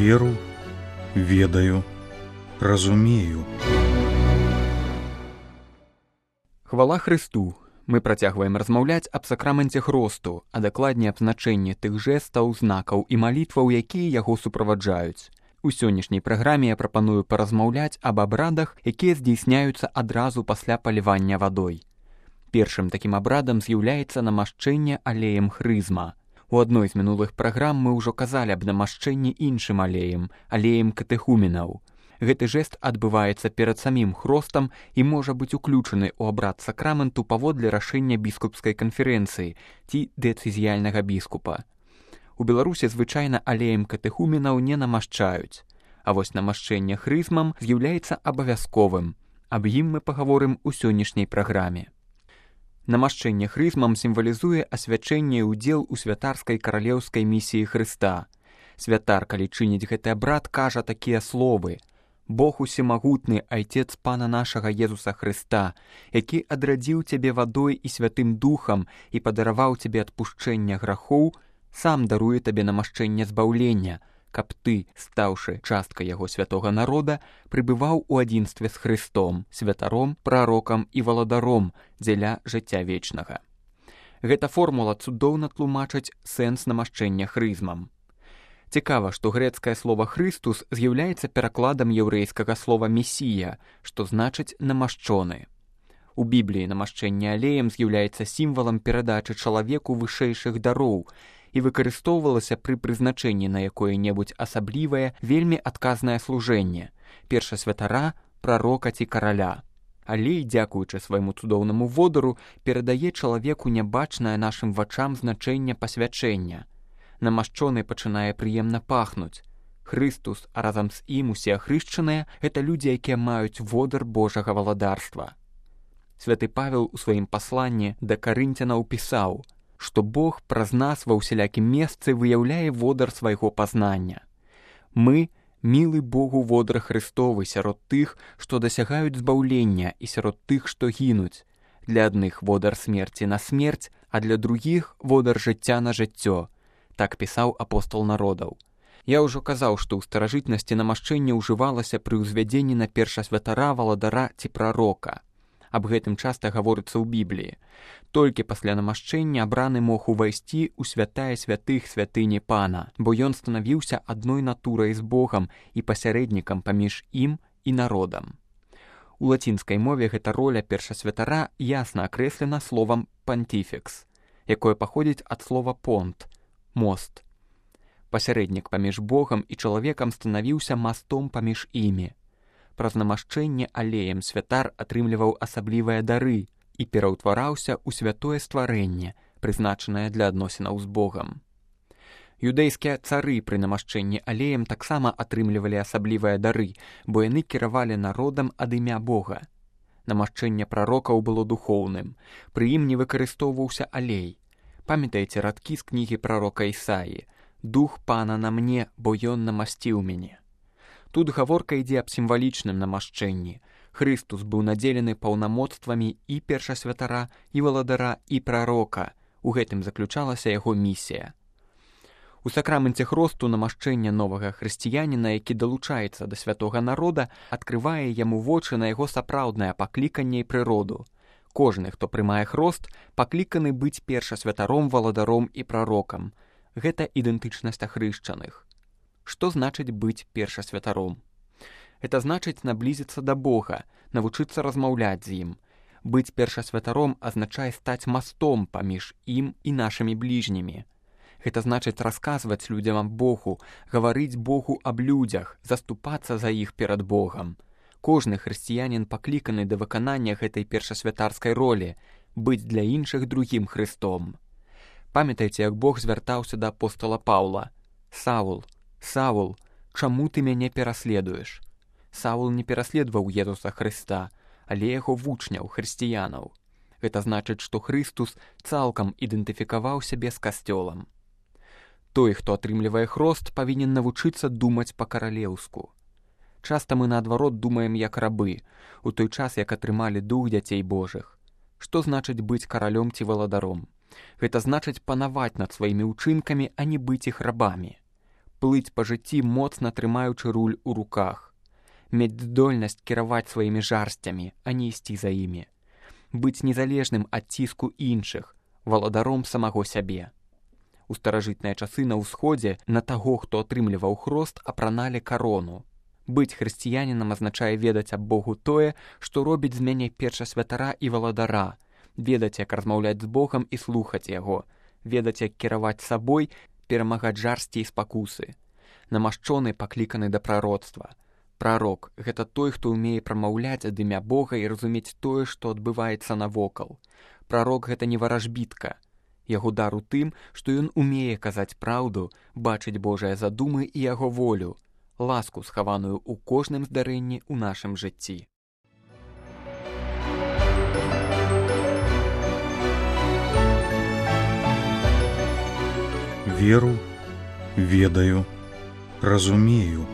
веру, ведаю, разумею. Хвала Христу! Мы працягваем размаўляць аб сакраменце хросту, а дакладней аб значэнні тых жэстаў, знакаў і малітваў, якія яго суправаджаюць. У сённяшняй праграме я прапаную паразмаўляць аб абрадах, якія здзейсняюцца адразу пасля палівання вадой. Першым такім абрадам з'яўляецца намашчэнне алеем хрызма. У адной з мінулых праграм мы ўжо казалі аб намашчэнні іншым алеем, алеем катэхуменаў. Гэты жэст адбываецца перад самім хростам і можа быць уключаны ў абрад сакраменту паводле рашэння біскупскай канферэнцыі ці дэцызіяльнага біскупа. У Беларусі звычайна алеем катэхуменаў не намашчаюць, а вось намашчэнне хрызмам з'яўляецца абавязковым. Аб ім мы пагаворым у сённяшняй праграме. Намашчэнне хрызмам сімвалізуе асвячэнне і ўдзел у святарскай каралеўскай місіі Хрыста. Святар, калі чыніць гэты абрад, кажа такія словы: «Бог усемагутны, Айцец Пана нашага Езуса Хрыста, які адрадзіў цябе вадой і святым духам і падараваў цябе адпушчэння грахоў, сам даруе табе намашчэнне збаўлення, каб ты, стаўшы часткай яго святога народа, прыбываў у адзінстве з Хрыстом, святаром, прарокам і валадаром дзеля жыцця вечнага». Гэта формула цудоўна тлумачыць сэнс намашчэння хрызмам. Цікава, што грэцкае слова «Хрыстус» з'яўляецца перакладам яўрэйскага слова «месія», што значыць «намашчоны». У Бібліі намашчэнне алеем з'яўляецца сімвалам перадачы чалавеку вышэйшых дароў і выкарыстоўвалася пры прызначэнні на якое-небудзь асаблівае, вельмі адказнае служэнне – першасвятара, прарока ці караля. Алей, дзякуючы свайму цудоўнаму водару, перадае чалавеку нябачнае нашым вачам значэнне пасвячэння. Намашчоны пачынае прыемна пахнуць. Хрыстус, а разам з ім усе ахрышчаныя – гэта людзі, якія маюць водар Божага валадарства. Святы Павел у сваім пасланні да карынцянаў пісаў, што Бог праз нас ва ўсялякім месцы выяўляе водар свайго пазнання. Мы – мілы Богу водар Христовы сярод тых, што дасягаюць збаўлення, і сярод тых, што гінуць. Для адных водар смерці на смерць, а для другіх водар жыцця на жыццё. Так пісаў апостол народаў. Я ўжо казаў, што ў старажытнасці намашчэнне ўжывалася пры ўзвядзенні на першасвятара, валадара ці прарока. Аб гэтым часта гаворыцца ў Бібліі. Толькі пасля намашчэння абраны мог увайсці ў святая святых святыні Пана, бо ён станавіўся адной натурай з Богам і пасярэднікам паміж ім і народам. У лацінскай мове гэта роля першасвятара ясна акрэслена словам «пантіфекс», якое паходзіць ад слова «понт» – мост. Пасярэднік паміж Богам і чалавекам станавіўся мастом паміж імі. Праз намашчэнне алеем святар атрымліваў асаблівыя дары і пераўтвараўся ў святое стварэнне, прызначанае для адносінаў з Богам. Юдэйскія цары пры намашчэнні алеем таксама атрымлівалі асаблівыя дары, бо яны кіравалі народам ад імя Бога. Намашчэнне прарокаў было духоўным, пры ім не выкарыстоўваўся алей. Памятаеце радкі з кнігі прарока Ісаі: «Дух Пана на мне, бо ён намасціў мяне». Тут гаворка ідзе аб сімвалічным намашчэнні. Хрыстус быў надзелены паўнамоцтвамі і першасвятара, і валадара, і прарока. У гэтым заключалася яго місія. У сакраменце хросту намашчэнне новага хрысціяніна, які далучаецца да святога народа, адкрывае яму вочы на яго сапраўднае пакліканне і прыроду. Кожны, хто прымае хрост, пакліканы быць першасвятаром, валадаром і прарокам. Гэта ідэнтычнасць ахрышчаных. Што значыць быць першасвятаром? Гэта значыць наблізіцца да Бога, навучыцца размаўляць з ім. Быць першасвятаром азначае стаць мастом паміж ім і нашымі бліжнімі. Гэта значыць расказваць людзям аб Богу, гаварыць Богу аб людзях, заступацца за іх перад Богам. Кожны хрысціянін пакліканы да выканання гэтай першасвятарскай ролі – быць для іншых другім Хрыстом. Памятайце, як Бог звяртаўся да апостола Паўла: «Саул, Саул, чаму ты мяне пераследуеш?» Саул не пераследаваў Езуса Хрыста, але яго вучняў, хрысціянаў. Гэта значыць, што Хрыстус цалкам ідэнтыфікаваў сябе з касцёлам. Той, хто атрымлівае хрост, павінен навучыцца думаць па-каралеўску. Часта мы, наадварот, думаем як рабы, у той час, як атрымалі дух дзяцей Божых. Што значыць быць каралём ці валадаром? Гэта значыць панаваць над сваімі ўчынкамі, а не быць іх рабамі. плыць па жыцці, моцна трымаючы руль у руках, мець здольнасць кіраваць сваімі жарсцямі, а не ісці за імі, быць незалежным ад ціску іншых, валадаром самого сябе. У старажытныя часы на ўсходзе на таго, хто атрымліваў хрост, апраналі карону. Быць хрысціянінам азначае ведаць аб Богу тое, што робіць з мяне першасвятара і валадара, ведаць, як размаўляць з Богам і слухаць яго, ведаць, як кіраваць сабой, перамагаць жарсці і спакусы. Намашчоны пакліканы да прароцтва. Прарок – гэта той, хто ўмее прамаўляць ад імя Бога і разумець тое, што адбываецца навокал. Прарок – гэта не варажбітка. Яго дар у тым, што ён умее казаць праўду, бачыць Божыя задумы і яго волю, ласку, схаваную ў кожным здарэнні ў нашым жыцці. Веру, ведаю, разумею.